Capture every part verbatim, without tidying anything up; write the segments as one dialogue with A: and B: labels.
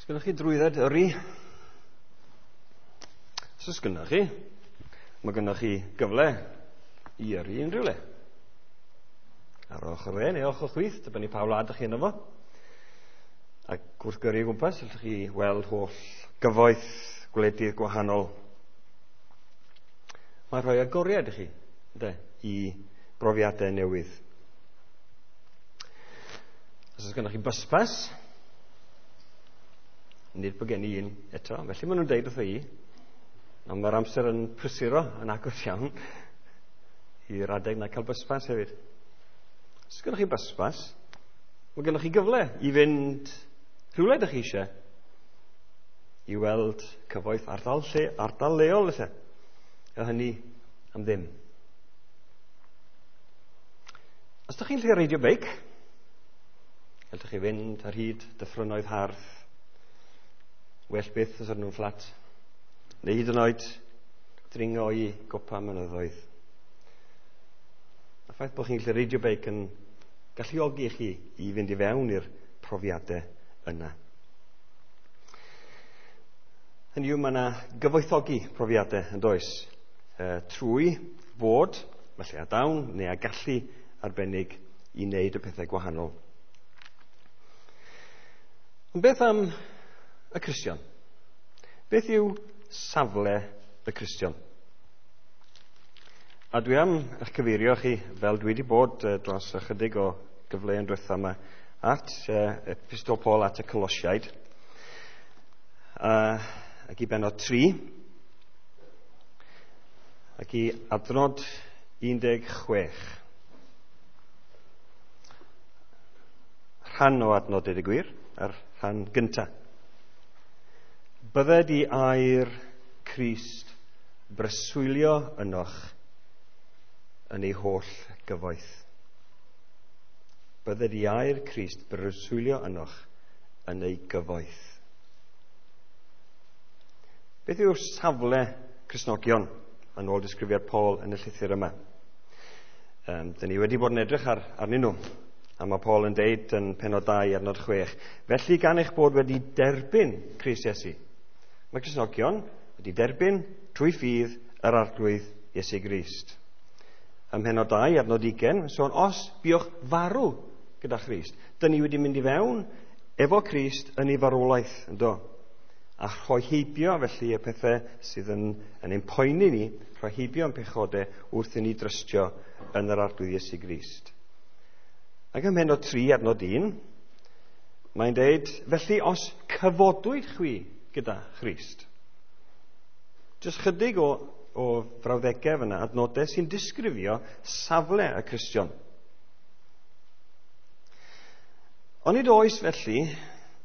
A: Os gennych chi drwydded yrru? Os oes gennych chi, mae gennych chi gyfle i yrru unrhyw le. Ar ochr dde neu ochr chwith, dibynnu pa wlad ydych chi yno fo. Ac wrth gyrru o gwmpas, allwch chi weld holl gyfoeth gwledydd gwahanol. Mae rhoi agoriad i chi, ynde, i brofiadau newydd. Os oes gennych chi bus pass, nid bod gen i un eto, felly maen nhw'n deud wrtho i, ond mae'r amser yn prysuro yn agos iawn i'r adeg na cael bus pass hefyd. Os gennych chi bus pass, mae gennych chi gyfle i fynd rhywle ydych chi eisiau i weld cyfoeth ardal, lle, ardal leol lle. A hynny am ddim. Os ydych chi'n lle reidio beic, gallwch chi fynd ar hyd dyffrynnoedd hardd, well byth os ydyn nhw'n fflat, neu hyd yn oed dringo i gopa mynyddoedd. Y ffaith bod chi'n gallu reidio beic yn galluogi chi i fynd i fewn i'r profiadau yna. Hynny yw, mae yna gyfoethogi profiadau yn does, e, trwy fod, falle â dawn neu â gallu arbennig i wneud y pethau gwahanol. Ond beth am y Cristion? Beth yw safle y Cristion? A dwi am eich cyfeirio chi, fel dwi wedi bod dros ychydig o gyfleoedd diwetha yma, at uh, Epistol Paul at y Colosiaid, uh, ac i bennod tri, ac i adnod un deg chwech. Rhan o adnod, deud y gwir, a'r rhan gynta. Bydded i air Crist breswylio ynoch yn ei holl gyfoeth. Bydded i air Crist breswylio ynoch yn ei gyfoeth. Beth yw'r safle Cristnogion yn ôl disgrifiad Paul yn y llythyr yma? Um, dyn ni wedi bod yn edrych ar, arnyn nhw, a mae Paul yn deud yn pennod dau adnod chwech, felly gan eich bod wedi derbyn Crist Iesu. Mae Cristnogion wedi derbyn trwy ffydd yr Arglwydd Iesu Grist. Ym mhennod dau adnod ugain, sôn os buoch farw gyda Christ. Dyn ni wedi mynd i fewn efo Crist yn ei farwolaeth, yndo? A rhoi heibio felly y pethau sydd yn, yn ein poeni ni, rhoi heibio yn pechodau wrth i ni drystio yn yr Arglwydd Iesu Grist. Ac ym mhennod tri adnod un, mae'n deud, felly os cyfodwyd chwi gyda Christ. Jyst chydig o, o frawddegau fyna, adnodau sy'n disgrifio safle y Cristion. Onid oes felly,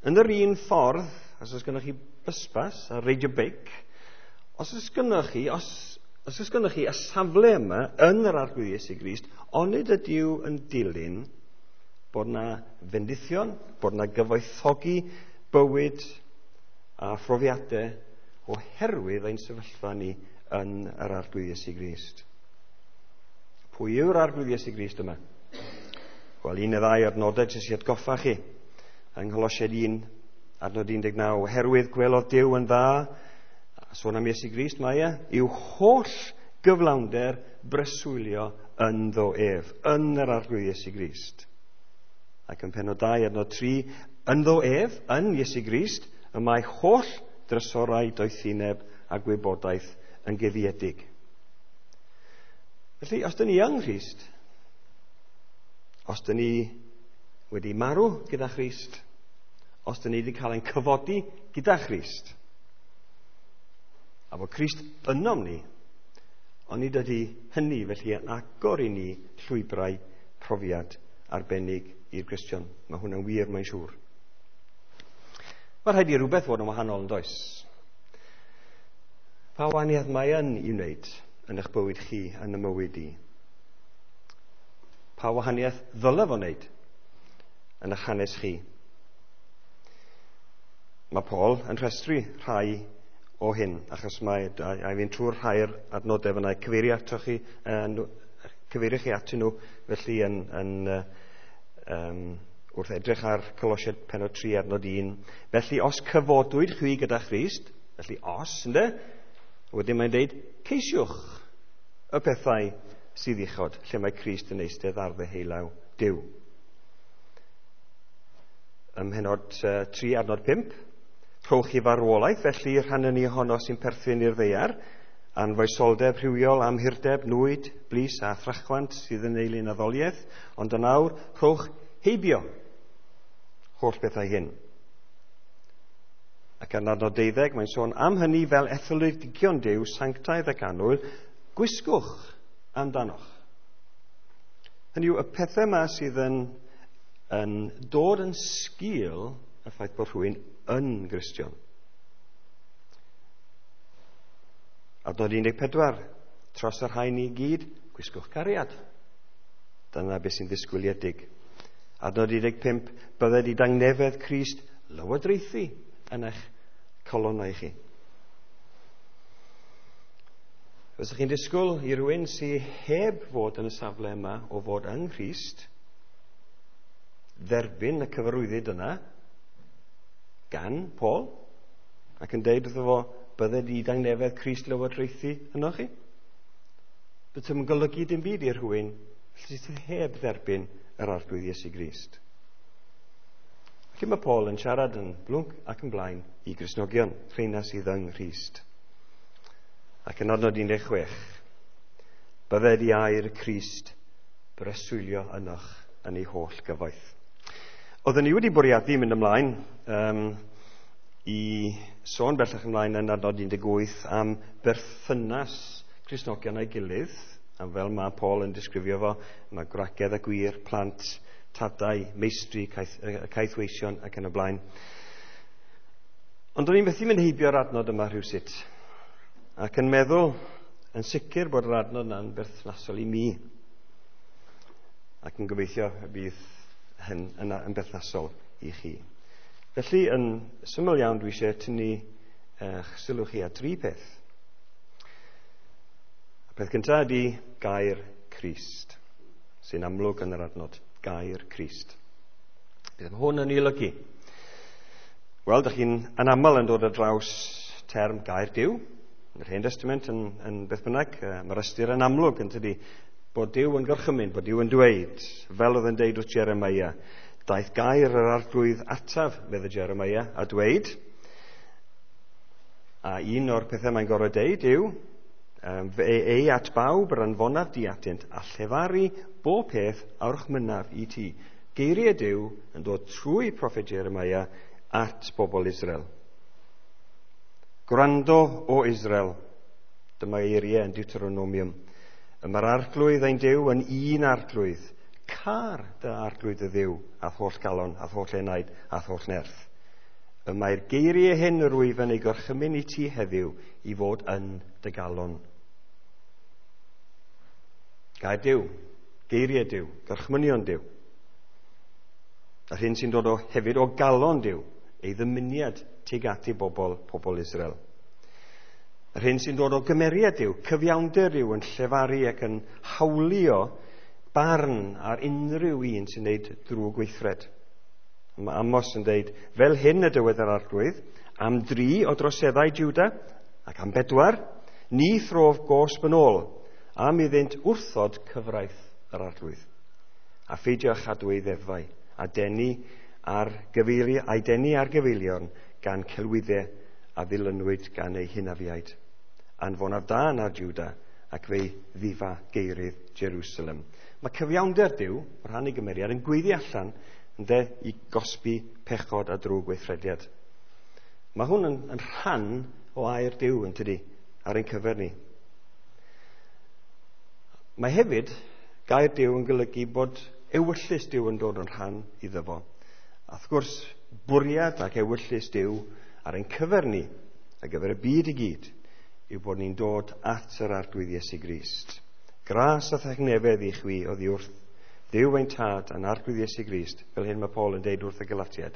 A: yn yr un ffordd, os oes gennych chi bysbas a reidio beic, os oes gennych chi, os, os oes gennych chi y safle yma yn yr Arglwydd Iesu Grist, onid ydyw yn dilyn bod na fendithion, bod na gyfoethogi bywyd a phrofiadau oherwydd ein sefyllfa ni yn yr Arglwydd Iesu Grist. Pwy yw'r Arglwydd Iesu Grist yma? Wel, un neu ddau adnodau jyst i atgoffa chi. Yng Ngholosiaid un, adnod un deg naw, oherwydd gwelodd Duw yn dda, sôn am Iesu Grist mae e, i'w holl gyflawnder breswylio ynddo ef, yn yr Arglwydd Iesu Grist. Ac yn pennod dau, adnod tri, ynddo ef, yn Iesu Grist, y mae holl drysorau doethineb a gwybodaeth yn guddiedig. Felly, os dyn ni yng Nghrist, os dyn ni wedi marw gyda Christ, os dyn ni wedi cael ein cyfodi gyda Christ, a bod Crist ynom ni, onid ydy hynny felly yn agor i ni llwybrau profiad arbennig i'r Cristion. Mae hwnna'n wir, mae'n siŵr. Mae rhaid i rhywbeth fod yn wahanol yn does. Pa wahaniaeth mae yn i wneud yn eich bywyd chi, yn y mywyd i? Pa wahaniaeth ddyle fo wneud yn eich hanes chi? Mae Paul yn rhestru rhai o hyn, achos mae, a fi'n trwy'r rhai'r adnodau fyna, cyfeirio ato chi, cyfeirio chi atyn nhw, felly yn, yn um, Wrth edrych ar Colosiaid pennod tri adnod un, felly os cyfodwyd chwi gyda Christ, felly os, ynde? Wedyn mae'n deud, ceisiwch y pethau sydd uchod, lle mae Crist yn eistedd ar ddeheulaw Duw. Ym mhennod tri adnod pump, rhowch i farwolaeth, felly rhan yn ohono sy'n perthyn i'r ddaear, anfoesoldeb rhywiol, amhurdeb, nwyd, blys a thrachwant sydd yn eilun addoliaeth, ond yn awr, rhowch heibio holl bethau hyn. Ac yn adnod deuddeg, mae'n sôn am hynny fel etholedigion Duw, sanctaidd ac annwyl, gwisgwch amdanoch. Hynny yw, y pethau yma sydd yn, yn dod yn sgil y ffaith bod rhywun yn Gristion. Adnod un deg pedwar, tros yr rhain i gyd, gwisgwch cariad. Dyna beth sy'n ddisgwyliedig. Adnod un deg pump, bydded i dangnefedd Crist lywodraethu yn eich colonnau chi. Fysech chi'n disgwyl i rywun sydd heb fod yn y safle yma o fod yng Nghrist dderbyn y cyfarwyddyd yna gan Paul ac yn deud wrtho fo, bydded i dangnefedd Crist lywodraethu yno chi? Bydd yn golygu dim byd i rhywun sydd heb dderbyn yr Arglwydd Iesu Grist. Felly mae Paul yn siarad yn blwnc ac yn blaen i Gristnogion, rheina sydd yng Nghrist. Ac yn adnod un deg chwech, bydded i air Crist breswylio ynoch yn ei holl gyfoeth. Oedden ni wedi bwriadu mynd ymlaen um, i sôn bellach ymlaen yn adnod un deg wyth am berthynas Cristnogion a'i gilydd, a fel mae Paul yn disgrifio fo, mae gwragedd a gwir, plant, tadau, meistri, caeth, caethweision ac yn y blaen. Ond o'n i'n methu mynd heibio'r adnod yma rhywsut, ac yn meddwl yn sicr bod yr adnod yna'n berthnasol i mi, ac yn gobeithio y bydd hyn yna yn berthnasol i chi. Felly, yn syml iawn, dwi eisiau tynnu eich sylw chi at dri peth. Y peth cyntaf ydy gair Crist, sy'n amlwg yn yr adnod, gair Crist. Beth mae hwn yn ei olygu? Wel, dych chi'n anaml yn dod ar draws term gair Duw. Yn yr Hen Testament yn, yn beth bynnag, mae'r ystyr yn amlwg yn tydi, bod Duw yn gorchymyn, bod Duw yn dweud, fel oedd yn deud wrth Jeremia, daeth gair yr Arglwydd ataf, medde Jeremia, a dweud, a un o'r pethau mae'n gorfod deud yw, fe ei at bawb yr anfonaf di atynt, a llefaru bob peth a orchmynnaf i ti. Geiriau Duw yn dod trwy proffwyd Jeremia at bobl Israel. Gwrando o Israel, dyma eiriau yn Deuteronomium. Y mae'r Arglwydd ein Duw yn un Arglwydd. Car dy Arglwydd y Dduw, a'th holl galon, a'th holl enaid, a'th holl nerth. Y mae'r geiriau hyn yr wyf yn ei gorchymyn i ti heddiw i fod yn dy galon. Gair Duw, geiriau Duw, gorchmynion Duw. A'r hyn sy'n dod o hefyd o galon Duw, ei ddymuniad tuag at ei bobl, pobl Israel. Yr hyn sy'n dod o gymeriad Duw, cyfiawnder Duw yn llefaru ac yn hawlio barn ar unrhyw un sy'n gwneud drwg gweithred. Mae Amos yn dweud, fel hyn y dywed yr Arglwydd, am dri o droseddau Juda, ac am bedwar, ni throf gosb yn ôl, am iddynt wrthod cyfraith yr Arglwydd, a pheidio â chadw ei ddeddfau, a denu ar gyfeili, a'i denu ar gyfeilion gan celwyddau a ddilynwyd gan ei hynafiaid. Anfonaf dân ar Juda, ac fe'i ddifa geirydd Jerusalem. Mae cyfiawnder Duw, o rhan ei gymeriad, yn gweiddi allan ynde, i gosbi pechod a drwg weithrediad. Mae hwn yn, yn rhan o air Duw, yn tydi, ar ein cyfer ni. Mae hefyd gair Duw yn golygu bod ewyllys Duw yn dod yn rhan iddo fo. A wrth gwrs, bwriad ac ewyllys Duw ar ein cyfer ni, ar gyfer y byd i gyd, yw bod ni'n dod at yr Arglwydd Iesu Grist. Gras a thangnefedd i chwi oddi wrth Dduw ein Tad a'n Arglwydd Iesu Grist, fel hyn mae Paul yn deud wrth y Galatiaid.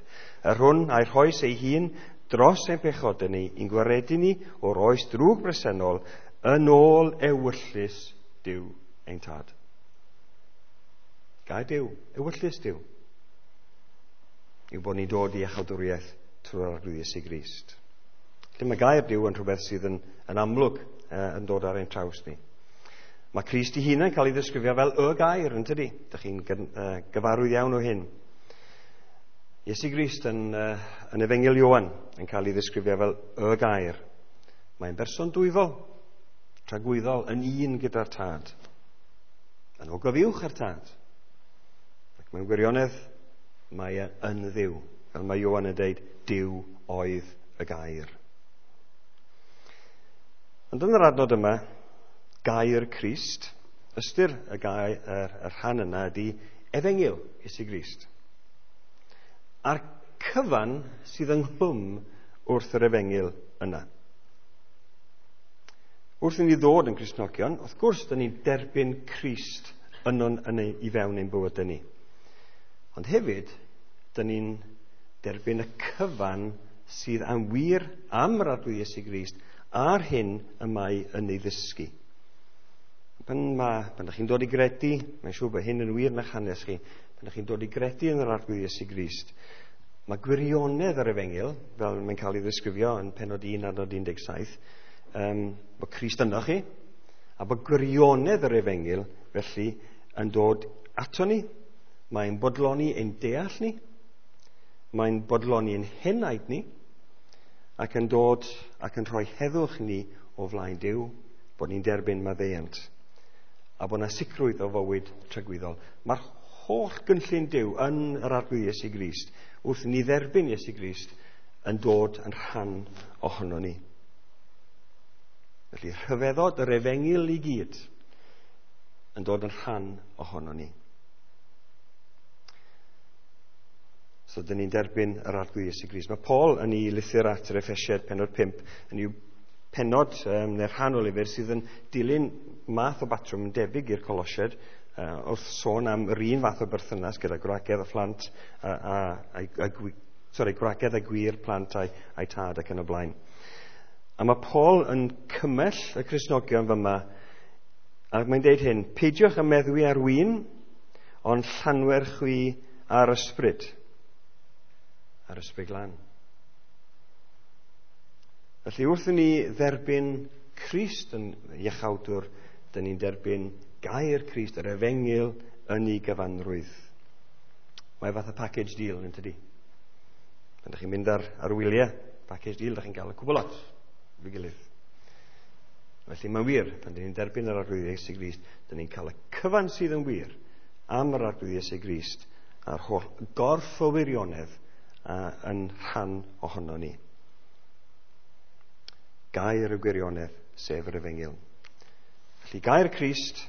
A: Yr hwn a'i rhoes ei hun dros ein pechodau ni, i'n gwaredu ni o'r oes drwg bresennol, yn ôl ewyllys Duw ein Tad. Gair Duw, ewyllys Duw. yw bod ni'n dod i iachawdwriaeth trwy'r Arglwydd Iesu Grist. Felly mae gair Duw yn rhywbeth sydd yn, yn amlwg uh, yn dod ar ein traws ni. Mae Crist ei hunan yn cael ei ddisgrifio fel y gair, yn tydi? Dych chi'n gyfarwydd iawn o hyn. Iesu Grist yn, uh, yn Efengyl Ioan yn cael ei ddisgrifio fel y gair. Mae'n berson dwyfol, tragwyddol, yn un gyda'r Tad. Yn ogof uwch â'r Tad. Ac mewn gwirionedd, mae e yn Dduw. Fel mae Ioan yn dweud, Duw oedd y gair. Ond yn yr adnod yma, gair Crist, ystyr y, gair, yr, y rhan yna ydy Efengyl Iesu Grist. A'r cyfan sydd ynghlwm wrth yr Efengyl yna. Wrth i ni ddod yn Cristnogion, wrth gwrs, dyn ni'n derbyn Crist yno'n yn ei, i fewn ein bywydau ni. Ond hefyd, dyn ni'n derbyn y cyfan sydd am wir am yr Arglwydd Iesu Grist a'r hyn y mae yn ei ddysgu. Pan, ma, pan ydych chi'n dod i gredu, mae'n siŵr bod hyn yn wir yn eich hanes chi, pan ydych chi'n dod i gredu yn yr Arglwydd Iesu Grist, mae gwirionedd yr Efengyl, fel mae'n cael ei ddisgrifio yn pennod un adnod un deg saith, um, bod Crist yno chi, a bod gwirionedd yr Efengyl felly yn dod ato ni, mae'n bodloni ein deall ni, mae'n bodloni ein henaid ni, ac yn dod ac yn rhoi heddwch ni o flaen Duw, bod ni'n derbyn maddeuant, a bod yna sicrwydd o fywyd tragwyddol. Mae'r holl gynllun Duw yn yr Arglwydd Iesu Grist, wrth ni dderbyn Iesu Grist, yn dod yn rhan ohono ni. Felly rhyfeddod yr Efengyl i gyd yn dod yn rhan ohono ni. So, dyn ni'n derbyn yr Arglwydd Iesu Grist. Mae Paul yn ei lythyr at yr Effesiaid pennod pump, yn ei pennod, um, neu'r rhan o lyfr sydd yn dilyn math o batrwm yn debyg i'r Colosiaid, uh, wrth sôn am yr un fath o berthynas gyda gwragedd a phlant, a, a, a, a, a, sorry, gwragedd a gwir plant a'i, a'i tad ac yn y blaen. A mae Paul yn cymell y Cristnogion fyma, ac mae'n deud hyn: peidiwch â meddwi ar win, ond llanwer chwi ar ysbryd. Ar ysbryd glân. Felly wrth i ni dderbyn Crist yn iachawdwr, dyn ni'n derbyn gair Crist, yr Efengyl, yn ei gyfanrwydd. Mae fath o package deal, yn tydi? Pan ydych chi'n mynd ar, ar wyliau, package deal, ydych chi'n cael y cwbl lot efo'i gilydd. Felly mae'n wir, pan dyn ni'n derbyn yr Arglwydd Iesu Grist, dyn ni'n cael y cyfan sydd yn wir am yr Arglwydd Iesu Grist a'r holl gorff o wirionedd yn rhan ohono ni. Gair y gwirionedd, sef yr Efengyl. Felly gair Crist,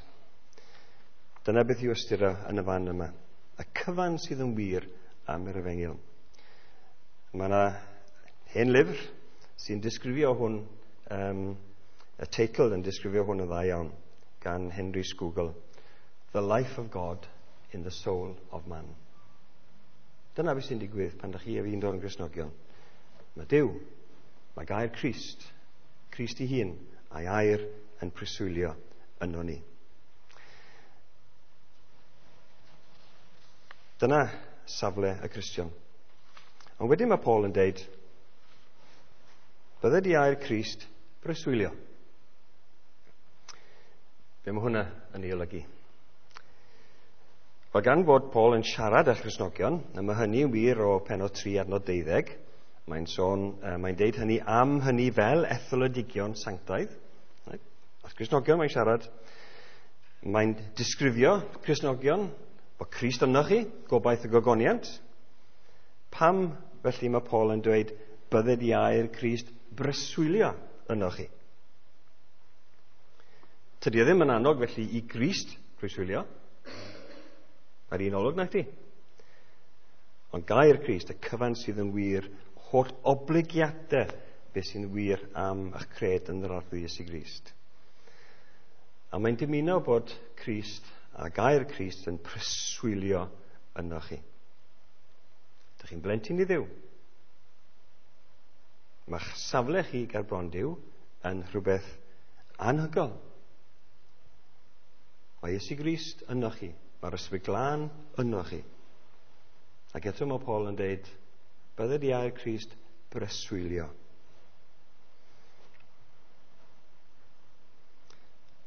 A: dyna beth yw ystyr yn y fan yma. Y cyfan sydd yn wir am yr Efengyl. Mae yna hen lyfr sy'n disgrifio hwn, um, y teitl yn disgrifio hwn yn dda iawn, gan Henry Scougal. The Life of God in the Soul of Man. Dyna beth sy'n digwydd pan ydych chi a fi'n dod yn Gristnogion. Mae Duw, mae gair Crist, Crist ei hun, a'i air yn preswylio yno ni. Dyna safle y Cristion. Ond wedyn mae Paul yn deud, bydde di air Crist preswylio. Be mae hwnna yn ei olygu? Wel, gan fod Paul yn siarad â Christnogion, a mae hynny yn wir o pennod tri adnod deuddeg, mae'n sôn, mae'n deud hynny am hynny fel etholedigion sanctaidd. Right? Wrth Cristnogion mae'n siarad, mae'n disgrifio Cristnogion, bod Crist yno chi, gobaith y gogoniant. Pam felly mae Paul yn dweud, bydded i air Crist breswylio yno chi? Tydi o ddim yn annog felly i Grist breswylio. Mae'r un olwg na chdi. Ond gair Crist, y cyfan sydd yn wir, holl obligiadau beth sy'n wir am eich cred yn yr Arglwydd Iesu Grist. A mae'n dymuno bod Crist a gair Crist yn preswylio yno chi. Dych chi'n blentyn i Dduw. Mae'ch safle chi ger bron Duw yn rhywbeth anhygoel. Mae Iesu Grist yno chi. Mae'r Ysbryd Glân yno chi. Ac eto mae Paul yn deud, bydded i air Crist breswylio.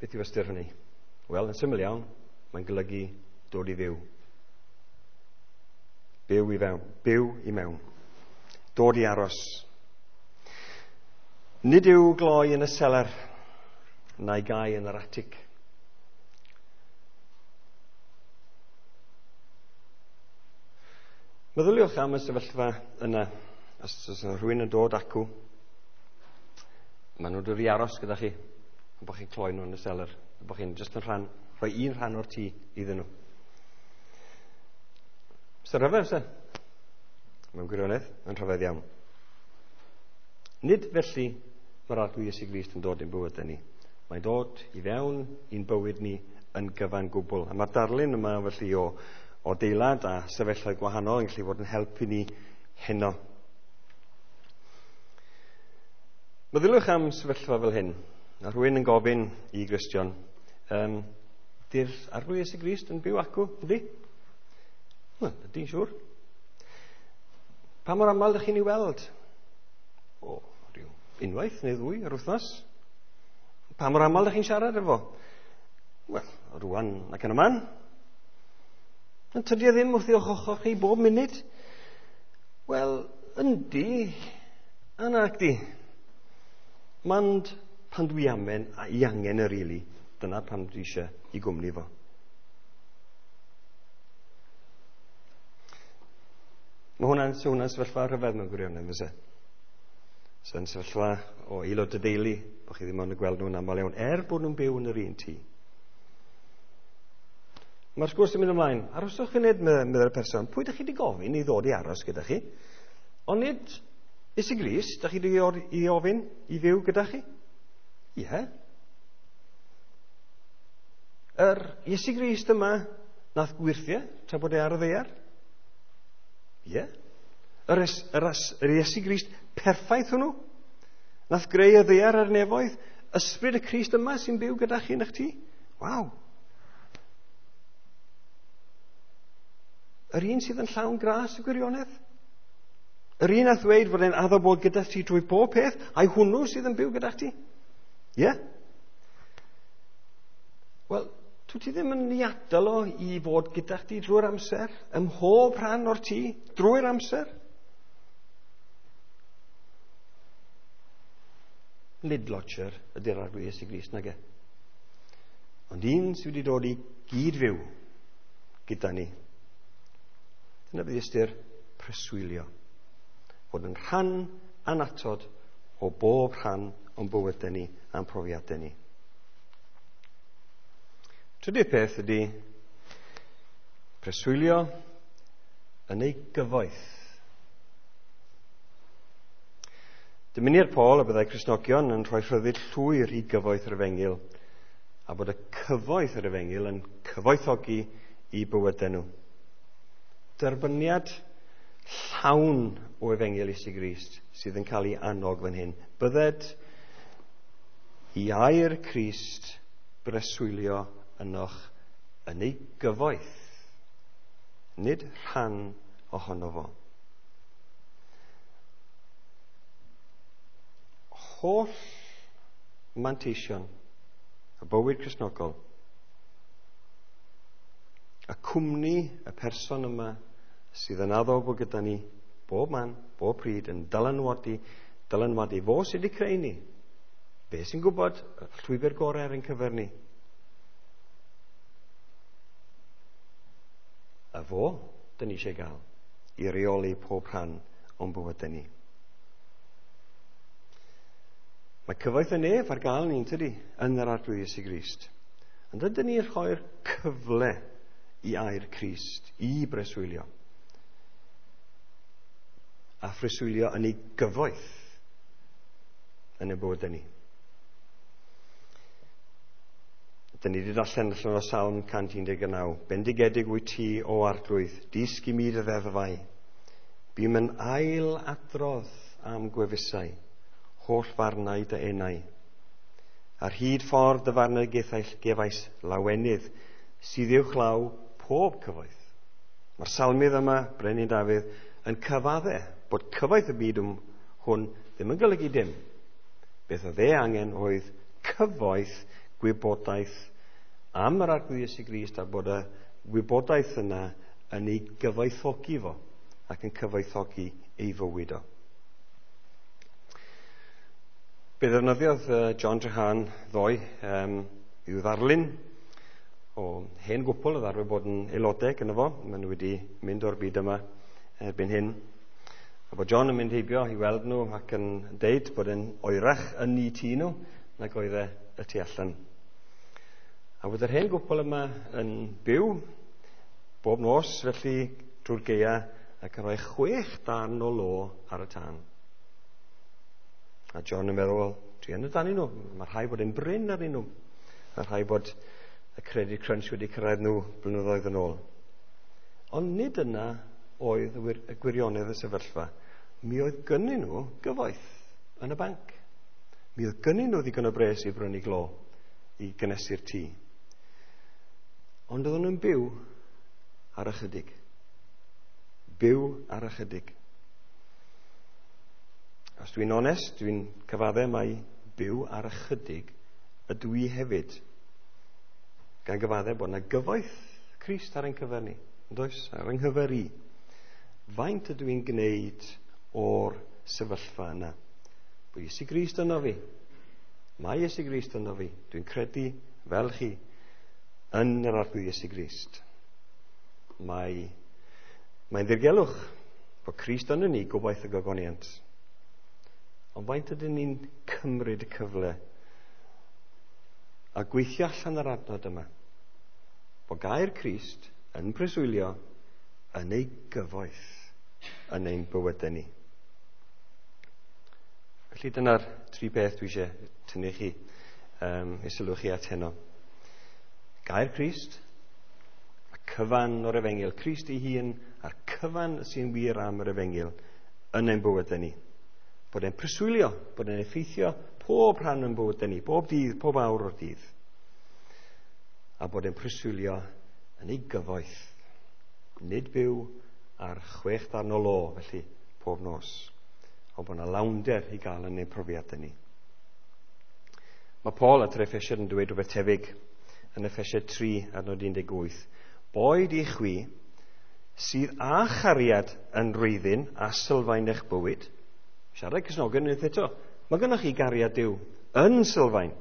A: Beth yw ystyr hynny? Wel, yn syml iawn, mae'n golygu dod i fyw. Byw i fewn, byw i mewn. Dod i aros. Nid yw gloi yn y seler, na'i gau yn yr atig. Meddyliwch am y sefyllfa yna. Os oes yna rhywun yn dod acw, maen nhw'n dod i aros gyda chi, a bod chi'n cloi nhw yn y seler, a bod chi'n just yn rhan, rhoi un rhan o'r tŷ iddyn nhw. Sy'n rhyfedd, se? Mewn gwirionedd, yn rhyfedd iawn. Nid felly mae'r Arglwydd Iesu Grist yn dod i'n bywydau ni. Mae'n dod i fewn i'n bywyd ni yn gyfan gwbl. A mae'r darlun yma felly o, o deilad a sefyllfaoedd gwahanol yn gallu fod yn helpu ni heno. Meddyliwch am sefyllfa fel hyn. A rhywun yn gofyn i Gristion, um, di'r Arglwydd Iesu Grist yn byw acw, ydy? Wel, ydy'n siŵr. Pa mor aml ydych chi'n ei weld? O, rhyw unwaith neu ddwy yr wythnos. Pa mor aml ydych chi'n siarad efo? Wel, rwan ac yn y man. Ond tydi e ddim wrth i'ch ochr chi bob munud? Wel, yndi, a nac di. Mond pan dwi amen a i angen y rili, dyna pam dwi eisiau i gwmni fo. Mae hwnna'n so hwnna'n sefyllfa rhyfedd mewn gwirionedd, fyse? So'n sefyllfa o aelod y deulu, bod chi ddim ond yn gweld nhw'n aml iawn, er bod nhw'n byw yn yr un tŷ. Mae'r sgwrs yn mynd ymlaen. Arhoswch funud, meddai'r person. Pwy ydych chi wedi gofyn i ddod i aros gyda chi? Ond nid Iesu Grist, ydych chi wedi i ofyn i fyw gyda chi? Ie. Yeah. Yr Iesu Grist yma nath gwyrthiau tra bod e ar y ddaear? Ie. Yeah. Yr, yr, yr Iesu Grist perffaith hwnnw? Nath greu y ddaear a'r nefoedd? Ysbryd y Crist yma sy'n byw gyda chi yn eich tŷ? Waw. Yr un sydd yn llawn gras y gwirionedd? Yr un a ddweud fod e'n addo bod gyda ti drwy bob peth, a'i hwnnw sydd yn byw gyda ti? Ie? Yeah? Wel, dwi ti ddim yn ei adael o i fod gyda chdi drwy'r amser, ym mhob rhan o'r tŷ, drwy'r amser? Nid lodger ydy'r Arglwydd Iesu Grist, nage. Ond un sydd wedi dod i gyd fyw gyda ni. Dyna bydd ystyr preswylio. Fod yn rhan annatod o bob rhan o'n bywydau ni a'n profiadau ni. Trydydd peth ydy preswylio yn ei gyfoeth. Dymuni'r Paul y byddai Cristnogion yn rhoi rhyddid llwyr i gyfoeth yr efengyl, a bod y cyfoeth yr efengyl yn cyfoethogi i bywydau nhw. Derbyniad llawn o efengyl Iesu Grist sydd yn cael ei annog fan hyn. Bydded i air Crist breswylio ynoch yn ei gyfoeth, nid rhan ohono fo. Holl manteision y bywyd Cristnogol, y cwmni y person yma sydd yn addo bod gyda ni bob man, bob pryd, yn dylanwadu, dylanwadu fo sydd wedi creu ni. Fe sy'n gwybod y llwybr gorau ar ein cyfer ni. A fo, dyn ni eisiau gael i reoli pob rhan o'n bywydau ni. Mae cyfoeth y nef ar gael ni'n tydi yn yr Arglwydd Iesu Grist. Ond ydyn ni'n rhoi'r cyfle i air Crist, i breswylio. A phreswylio yn ei gyfoeth yn y bywydau ni. Dyn ni wedi darllen allan o Salm cant un deg naw. Bendigedig wyt ti, o Arglwydd, dysg i mi dy ddeddfau. Bûm yn ail adrodd am gwefusau, holl farnau dy enau. Ar hyd ffordd dy farnau gefais lawenydd, sydd uwchlaw pob cyfoeth. Mae'r salmydd yma, Brenin Dafydd, yn cyfadde bod cyfoeth y byd hwn ddim yn golygu dim. Beth oedd e angen oedd cyfoeth gwybodaeth am yr Arglwydd Iesu Grist, a bod y wybodaeth yna yn ei gyfoethogi fo ac yn cyfoethogi ei fywyd o. Be ddefnyddiodd John Trehan ddoe um, i'w ddarlun o hen gwpl oedd arfer bod yn aelodau gyda fo. Maen nhw wedi mynd o'r byd yma erbyn hyn. A bod John yn mynd heibio i weld nhw ac yn deud bod e'n oerach yn eu tŷ nhw nag oedd e y tu allan. A bod yr hen gwpl yma yn byw bob nos, felly drwy'r gaea, ac yn rhoi chwech darn o lo ar y tân. A John yn meddwl, wel, dwi yn y dan nhw, mae rhai bod yn brin arnyn nhw. Mae rhai bod y credit crunch wedi cyrraedd nhw blynyddoedd yn ôl. Ond nid yna oedd y gwirionedd y sefyllfa. Mi oedd gynnyn nhw gyfoeth yn y banc. Mi oedd gynnyn nhw ddigon o bres i brynu glo i gynnesu'r tŷ. Ond oedden nhw'n byw ar ychydig. Byw ar ychydig. Os dwi'n onest, dwi'n cyfadde mai byw ar ychydig ydw i hefyd. Gan gyfadde bod yna gyfoeth Crist ar ein cyfer ni. Yn does? Ar ein cyfer i. Faint ydw i'n gwneud o'r sefyllfa yna? Bod Iesu Grist yno fi. Mae Iesu Grist yno fi. Dwi'n credu fel chi yn yr Arglwydd Iesu Grist. Mae, mae'n ddirgelwch bod Crist yno ni, gobaith y gogoniant. Ond faint ydyn ni'n cymryd y cyfle a gweithio allan yr adnod yma? Bod gair Crist yn preswylio yn ei gyfoeth yn ein bywydau ni. Felly dyna'r tri peth dwi eisiau tynnu chi, um, i sylw chi at heno. Gair Crist, y cyfan o'r efengyl, Crist ei hun a'r cyfan sy'n wir am yr efengyl yn ein bywydau ni. Bod e'n preswylio, bod e'n effeithio pob rhan o'n bywydau ni, bob dydd, pob awr o'r dydd. A bod e'n preswylio yn ei gyfoeth. Nid byw ar chwech darn o lo, felly, pob nos. Ond bod yna lawnder i gael yn ein profiadau ni. Mae Paul at yr Effesiaid yn dweud rhywbeth tebyg yn Effesiaid tri adnod un deg wyth. Boed i chwi sydd â chariad yn wreiddyn a sylfaen eich bywyd. Siarad Cristnogion unwaith eto. Mae gennych chi gariad Duw yn sylfaen.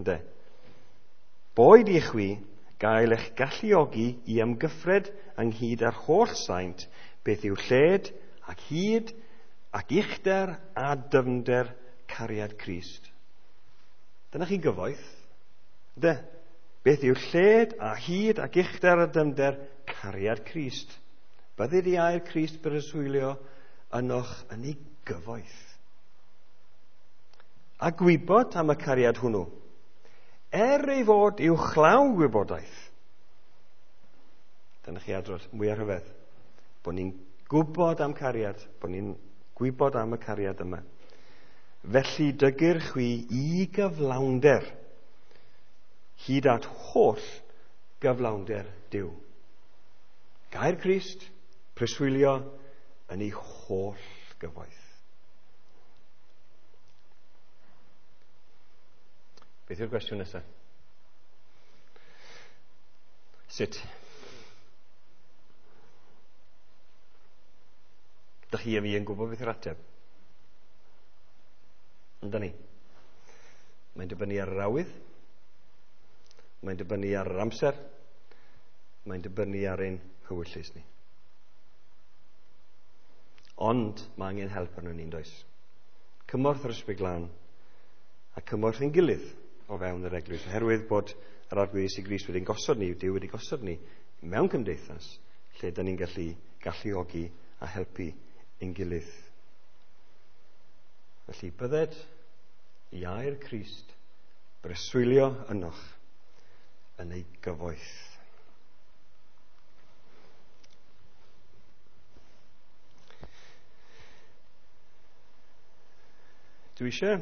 A: Ynde? Boed i chwi gael eich galluogi i ymgyffred ynghyd â'r holl saint beth yw lled ac hyd ac uchder a dyfnder cariad Crist. Dyna chi gyfoeth. Ynde? Beth yw lled a hyd ac uchder a dyfnder cariad Crist. Bydded i air Crist breswylio ynoch yn ei gyfoeth. A gwybod am y cariad hwnnw, er ei fod i'w chlaw gwybodaeth. Dyna chi adrodd mwy ar rhyfedd. Bod ni'n gwybod am cariad, bod ni'n gwybod am y cariad yma. Felly dygir chwi i gyflawnder, hyd at holl gyflawnder Duw. Gair Crist, preswylio yn ei holl gyfoeth. Beth yw'r gwestiwn nesaf? Sut? Dych chi a fi yn gwybod beth yw'r ateb? Yndan ni? Mae'n dibynnu ar yr awydd, mae'n dibynnu ar yr amser, mae'n dibynnu ar ein hywyllys ni. Ond mae angen help arno ni'n does? Cymorth yr Ysbryd Glân a cymorth ein gilydd o fewn yr eglwys, oherwydd bod yr Arglwydd Iesu Grist wedi'n gosod ni, Duw wedi gosod ni mewn cymdeithas lle da ni'n gallu galluogi a helpu ein gilydd. Felly bydded i air Crist breswylio ynoch yn ei gyfoeth. Dwi eisiau